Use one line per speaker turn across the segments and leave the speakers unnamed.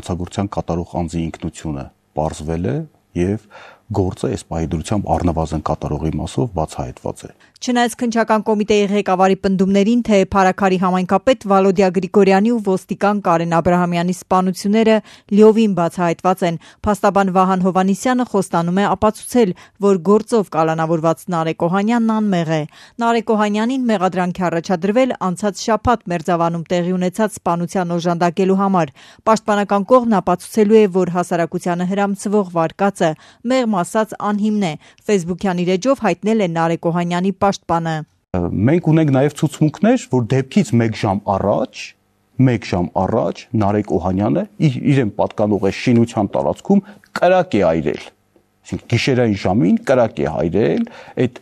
հանցագործության կատարող անձի ինքնությունը պարզվել է եւ գործը այս պահի դրությամբ առնվազն կատարողի մասով բացահայտված է։
Չնայած քննչական կոմիտեի ղեկավարի պնդումներին, թե Փարաքարի համայնքապետ Վալոդիա Գրիգորյանի ու ոստիկան Կարեն Աբրահամյանի սպանությունները լիովին բացահայտված են, փաստաբան Վահան Հովհաննիսյանը խոստանում է ապացուցել, որ գործով կալանավորված Նարեկ Օհանյանն անմեղ է։ Նարեկ Օհանյանին մեղադրանք է առաջադրվել անցած շաբաթ Մերձավանում տեղի ունեցած սպանության օժանդակելու համար։ Պաշտպանական կողմն ապացուցելու է, որ հասարակությանը հրամցվող վարկածը մեղմ ասած անհիմն է, Facebook-յան իր էջով հայտնել է Նարեկ Օհանյանի պաշտպանը։
Մենք ունենք նաև ցուցմունքներ, որ դեպքից 1 ժամ առաջ Նարեկ Օհանյանը իրեն պատկանող է շինության տարածքում կրակ է այրել։ Այսինքն գիշերային ժամին կրակ է այրել, այդ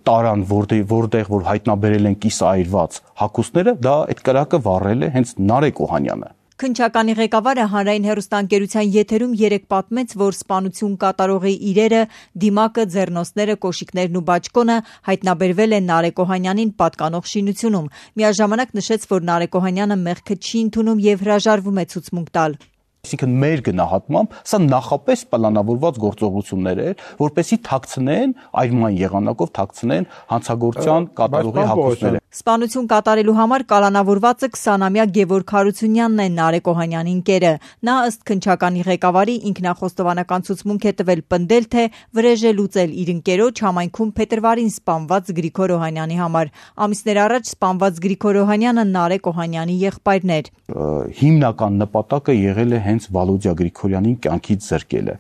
տարան, որտեղ հայտնաբերել են կիսաայրված հագուստները, դա այդ կրակը վառել է հենց Նարեկ Օհանյանը։
Քննչականի ղեկավարը հանրային հեռուստաընկերության եթերում երեկ պատմեց, որ սպանություն կատարողի իրերը, դիմակը, ձեռնոցները, կոշիկներն ու բաճկոնը հայտնաբերվել են Նարեկ Օհանյանին պատկանող շինությունում։ Միաժամանակ նշեց, որ Նարեկ Օհանյանը մեղքը չի ընդունում եւ հրաժարվում է ցուցմունք տալ։
Այսինքն մեր գնահատմամբ սա նախապես պլանավորված գործողություններ էր, որպեսզի թաքցնեն այրման եղանակով թաքցնեն հանցագործության կատարողի հագուստները։
Սպանություն կատարելու համար կալանավորվածը 20-ամյա Գևորգ Հարությունյանն է, Նարեկ Օհանյանի ընկերը։ Նա ըստ քննչականի ղեկավարի ինքնախոստովանական ցուցմունք է տվել պնդել, թե վրեժ է լուծել իր ընկերոջ համայնքում փետրվարին սպանված Գրիգոր Օհանյանի համար։ Ամիսներ առաջ սպանված Գրիգոր Օհանյանը Նարեկ Օհանյանի եղբայրն էր։
Հիմնական նպատակը եղել է հենց Վալոդիա Գրիգորյանին կյանքից զրկելը։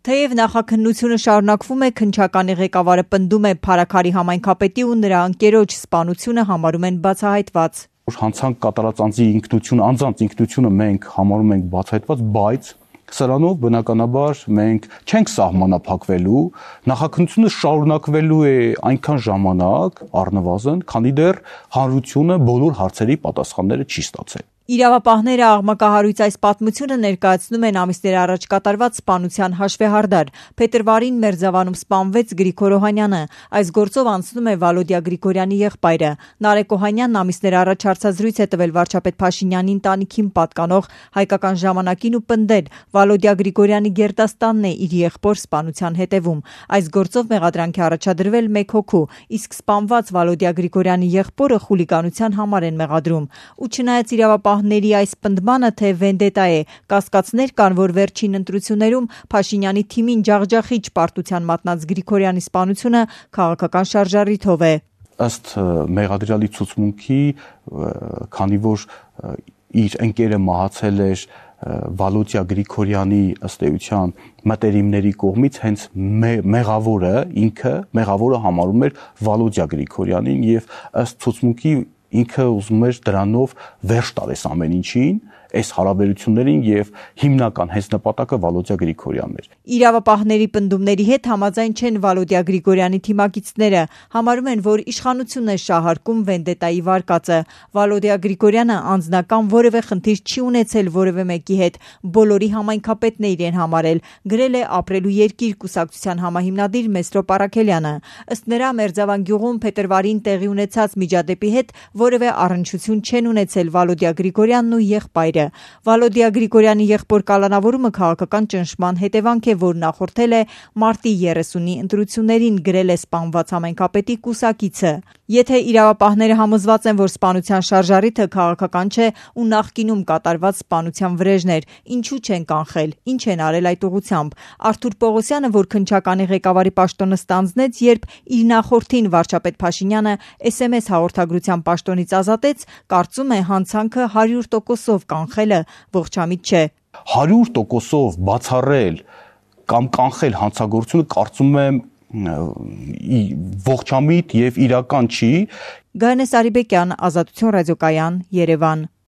Թեև նախաքննությունը շարունակվում է, քննչականի ղեկավարը պնդում է Փարաքարի համայնքապետի ու նրա ընկերոջ սպանությունը համարում են բացահայտված։
Հանցանք կատարած անձի ինքնությունը, անձանց ինքնությունը մենք համարում ենք բացահայտված, բայց սրանով բնականաբար մենք չենք սահմանափակվելու, նախաքննությունը շարունակվելու է այնքան ժամանակ առնվազն, քանի դեռ հանրությունը բոլոր հարցերի պատասխանները չի ստացել։
Իրավապահները աղմկահարույց այս պատմությունը ներկայացնում են ամիսներ առաջ կատարված սպանության հաշվեհարդար։ Փետրվարին Մերձավանում սպանվեց Գրիգոր Օհանյանը։ Այս գործով անցնում է Վալոդիա Գրիգորյանի եղբայրը։ Նարեկ Օհանյանն ամիսներ առաջ հարցազրույց է տվել վարչապետ Փաշինյանի ընտանիքին պատկանող Հայկական ժամանակին ու պնդել, Վալոդիա Գրիգորյանի գերդաստանն է իր եղբոր սպանության հետևում։ Այս գործով մեղադրանք է առաջադրվել 1 հոգու, իսկ սպանված Վալոդիա Գրիգորյանի եղբորը խուլիգանության համար են մեղադրում։ Ու չնայած իրավապահների այս պնդմանը, թե վենդետա է, կասկածներ կան, որ վերջին ընտրություններում Փաշինյանի թիմին ջախջախիչ պարտության մատնած Գրիգորյանի սպանությունը քաղաքական շարժառիթով է։
Ըստ մեղադրյալի ցուցմունքի, քանի որ իր ընկերը մահացել էր Վալոդիա Գրիգորյանի ըստ էության մտերիմների կողմից, հենց մեղավորը համարում էր Վալոդիա Գրիգորյանին եւ ըստ ցուցմունքի ինքը ուզում էր դրանով վերջ տալես ամեն ինչին, այս հարաբերություններին եւ հիմնական հենց նպատակը Վալոդիա Գրիգորյանն էր։
Իրավապահների պնդումների հետ համաձայն չեն Վալոդիա Գրիգորյանի թիմակիցները, համարում են, որ իշխանությունն է շահարկում վենդետայի վարկածը։ Վալոդիա Գրիգորյանը անձնական որևէ խնդիր չի ունեցել որևէ մեկի հետ, բոլորի համայնքապետն է իրեն համարել, գրել է Ապրելու երկիր կուսակցության համահիմնադիր Մեսրոպ Առաքելյանը։ Ըստ նրա Մերձավան գյուղում փետրվարին տեղի ունեցած միջադեպի հետ որևէ առնչություն չեն ունեցել Վալոդիա Գրիգորյանն ու եղբայրը։ Վալոդիա Գրիգորյանի եղբոր կալանավորումը քաղաքական ճնշման հետևանք է, որ նախորդել է մարտի 30-ի ընտրություններին, գրել է սպանված համայնքապետի կուսակիցը։ Եթե իրավապահները համոզված են, որ սպանության շարժառիթը քաղաքական չէ ու նախկինում կատարված սպանության վրեժներ, ինչու չեն կանխել, ինչ են արել այդ ուղղությամբ։ Արթուր Պողոսյանը, որ քննչականի ղեկավարի պաշտոնը ստանձնեց, երբ իր նախորդին վարչապետ Փաշինյանը SMS հաղորդագրության պաշտոնից ազատեց, կարծում է հանցանքը 100%-ով կանխելը ողջամիտ չէ։
100%-ով բացառել կամ կանխել հանցագործությունը, կարծում եմ ողջամիտ եւ իրական չի։
Գայանե Սարիբեկյան, Ազատություն ռադիոկայան, Երևան։